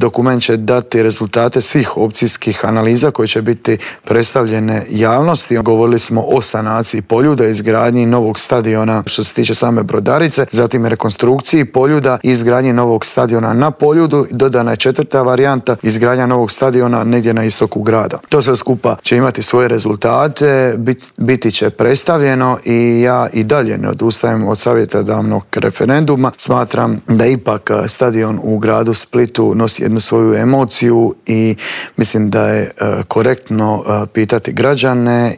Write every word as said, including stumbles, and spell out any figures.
dokument će dati rezultate svih opcijskih analiza koje će biti predstavljene javnosti. Govorili smo o sanaciji Poljuda, izgradnji novog stadiona što se tiče same Brodarice, zatim rekonstrukciji Poljuda i izgradnji novog stadiona na Poljudu. Dodana je četvrta varijanta, izgradnja novog stadiona negdje na istoku grada. To sve skupa će imati svoje rezultate, bit, biti će predstavljeno i ja i dalje ne odustajem od savjetodavnog referenduma. Smatram da ipak stadion u gradu Splitu nosi jednu svoju emociju i mislim da je korektno pitati građane